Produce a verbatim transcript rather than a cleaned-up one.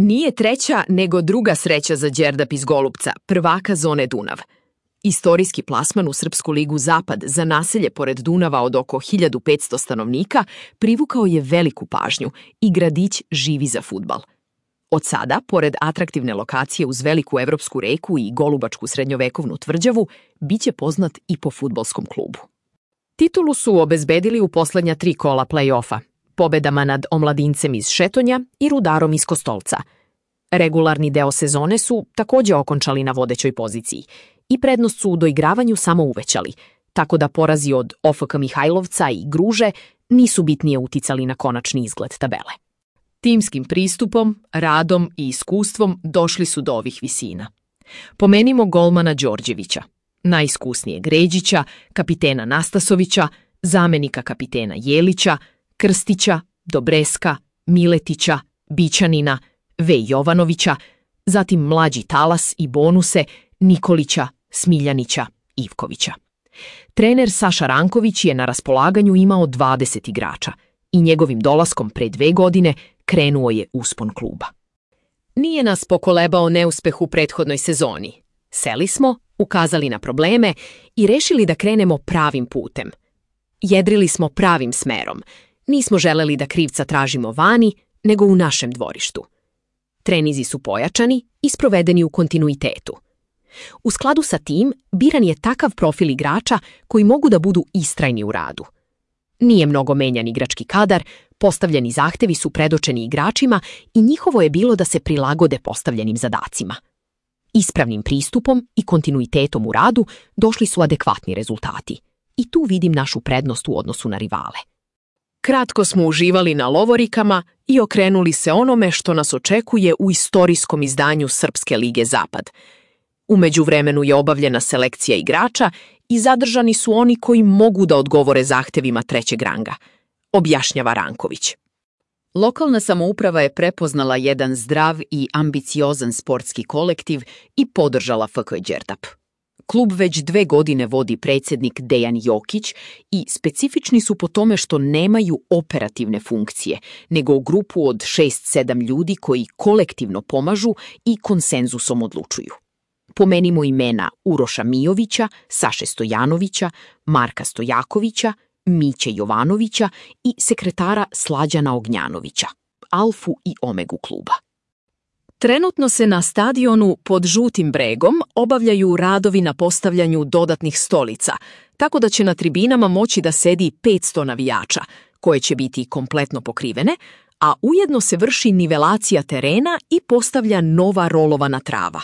Nije treća, nego druga sreća za Đerdap iz Golupca, prvaka zone Dunav. Istorijski plasman u Srpsku ligu Zapad za naselje pored Dunava od oko hiljadu petsto stanovnika privukao je veliku pažnju i gradić živi za fudbal. Od sada, pored atraktivne lokacije uz veliku evropsku reku i golubačku srednjovekovnu tvrđavu, biće poznat i po fudbalskom klubu. Titulu su obezbedili u poslednja tri kola play-offa, pobedama nad Omladincem iz Šetonja i Rudarom iz Kostolca. Regularni deo sezone su takođe okončali na vodećoj poziciji i prednost su u doigravanju samo uvećali, tako da porazi od O F K Mihajlovca i Gruže nisu bitnije uticali na konačni izgled tabele. Timskim pristupom, radom i iskustvom došli su do ovih visina. Pomenimo golmana Đorđevića, najiskusnijeg Ređića, kapitena Nastasovića, zamenika kapitena Jelića, Krstića, Dobreska, Miletića, Bićanina, V. Jovanovića, zatim mlađi Talas i bonuse Nikolića, Smiljanića, Ivkovića. Trener Saša Ranković je na raspolaganju imao dvadeset igrača i njegovim dolaskom pre dve godine krenuo je uspon kluba. Nije nas pokolebao neuspeh u prethodnoj sezoni. Seli smo, ukazali na probleme i rešili da krenemo pravim putem. Jedrili smo pravim smerom. Nismo želeli da krivca tražimo vani, nego u našem dvorištu. Trenizi su pojačani i sprovedeni u kontinuitetu. U skladu sa tim, biran je takav profil igrača koji mogu da budu istrajni u radu. Nije mnogo menjan igrački kadar, postavljeni zahtevi su predočeni igračima i njihovo je bilo da se prilagode postavljenim zadacima. Ispravnim pristupom i kontinuitetom u radu došli su adekvatni rezultati. I tu vidim našu prednost u odnosu na rivale. Kratko smo uživali na lovorikama i okrenuli se onome što nas očekuje u istorijskom izdanju Srpske lige Zapad. U međuvremenu je obavljena selekcija igrača i zadržani su oni koji mogu da odgovore zahtevima trećeg ranga, objašnjava Ranković. Lokalna samouprava je prepoznala jedan zdrav i ambiciozan sportski kolektiv i podržala F K Đerdap. Klub već dve godine vodi predsjednik Dejan Jokić i specifični su po tome što nemaju operativne funkcije, nego grupu od šest sedam ljudi koji kolektivno pomažu i konsenzusom odlučuju. Pomenimo imena Uroša Mijovića, Saše Stojanovića, Marka Stojakovića, Miće Jovanovića i sekretara Slađana Ognjanovića, alfu i omegu kluba. Trenutno se na stadionu pod Žutim bregom obavljaju radovi na postavljanju dodatnih stolica, tako da će na tribinama moći da sedi petsto navijača, koje će biti kompletno pokrivene, a ujedno se vrši nivelacija terena i postavlja nova rolovana trava.